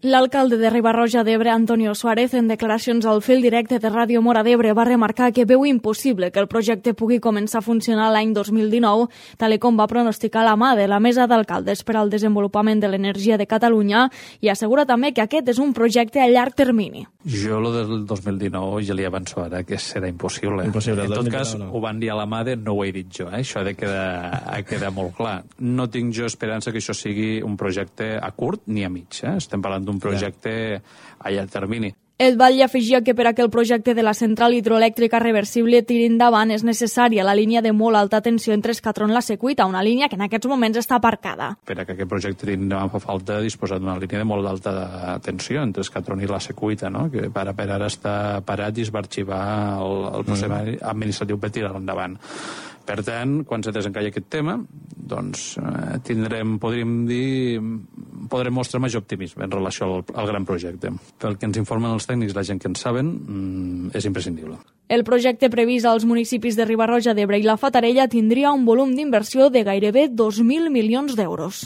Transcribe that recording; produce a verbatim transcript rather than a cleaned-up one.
L'alcalde de Riba-roja d'Ebre, Antonio Suárez, en declaracions al fil directe de Ràdio Móra d'Ebre, va remarcar que veu impossible que el projecte pugui començar a funcionar l'any dos mil dinou, tal com va pronosticar la mà de la Mesa d'Alcaldes per al Desenvolupament de l'Energia de Catalunya, i assegura també que aquest és un projecte a llarg termini. Jo, lo del dos mil dinou, ja li avanço ara que serà impossible. impossible en tot cas, no. ho van dir a la mà de no ho he dit jo, eh? Això ha de quedar, ha de quedar molt clar. No tinc jo esperança que això sigui un projecte a curt ni a mig, eh? Estem parlant d'un projecte a llarg termini. El Batlle afegia que per a que el projecte de la central hidroelèctrica reversible tiri endavant és necessària la línia de molt alta tensió entre Escatron i la Secuita, una línia que en aquests moments està aparcada. Per a que aquest projecte tiri endavant fa falta disposar d'una línia de molt alta tensió entre Escatron i la Secuita, no? Que per, per ara està parat i es va arxivar el, el procés mm. administratiu per tirar endavant. Per tant, quan se desencalli aquest tema, doncs eh, tindrem, podríem dir, podrem mostrar major optimisme en relació al, al gran projecte. Pel que ens informen els tècnics, la gent que en saben, mmm, és imprescindible. El projecte previst als municipis de Riba-roja d'Ebre i la Fatarella tindria un volum d'inversió de gairebé dos mil milions d'euros.